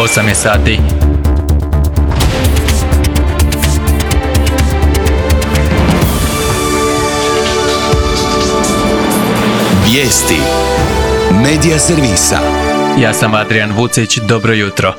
8 je sati. Vijesti Medija servisa. Ja sam Adrian Vucić, dobro jutro.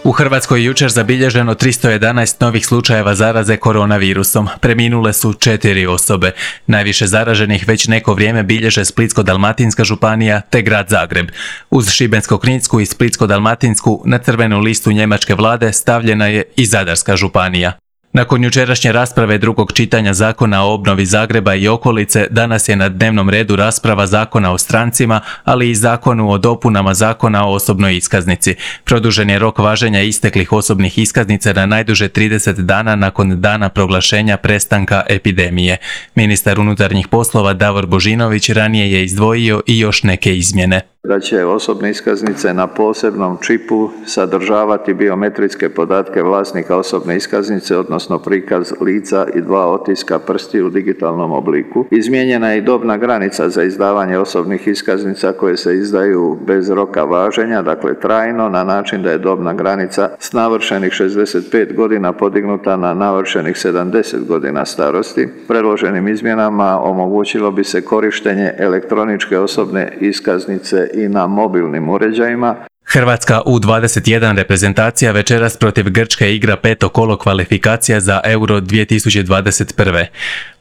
U Hrvatskoj je jučer zabilježeno 311 novih slučajeva zaraze koronavirusom. Preminule su 4 osobe. Najviše zaraženih već neko vrijeme bilježe Splitsko-dalmatinska županija te grad Zagreb. Uz Šibensko-kninsku i Splitsko-dalmatinsku na crvenu listu njemačke vlade stavljena je i Zadarska županija. Nakon jučerašnje rasprave drugog čitanja Zakona o obnovi Zagreba i okolice, danas je na dnevnom redu rasprava Zakona o strancima, ali i Zakonu o dopunama Zakona o osobnoj iskaznici. Produžen je rok važenja isteklih osobnih iskaznica na najduže 30 dana nakon dana proglašenja prestanka epidemije. Ministar unutarnjih poslova Davor Božinović ranije je izdvojio i još neke izmjene. Da će osobne iskaznice na posebnom čipu sadržavati biometrijske podatke vlasnika osobne iskaznice, odnosno prikaz lica i 2 otiska prstiju u digitalnom obliku. Izmijenjena je i dobna granica za izdavanje osobnih iskaznica koje se izdaju bez roka važenja, dakle trajno, na način da je dobna granica s navršenih 65 godina podignuta na navršenih 70 godina starosti. Predloženim izmjenama omogućilo bi se korištenje elektroničke osobne iskaznice i na mobilnim uređajima. Hrvatska U21 reprezentacija večeras protiv Grčke igra 5. kolo kvalifikacija za Euro 2021.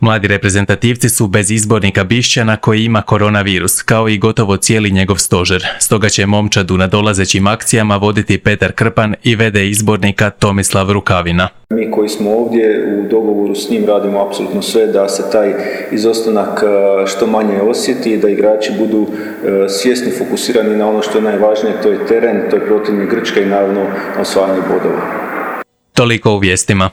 Mladi reprezentativci su bez izbornika Bišćana koji ima koronavirus, kao i gotovo cijeli njegov stožer. Stoga će momčad u nadolazećim akcijama voditi Petar Krpan i v.d. izbornika Tomislav Rukavina. Mi koji smo ovdje u dogovoru s njim radimo apsolutno sve da se taj izostanak što manje osjeti, da igrači budu svjesni, fokusirani na ono što je najvažnije, to je teren, to je protivnik Grčke i naravno osvajanje bodova. Toliko u vijestima.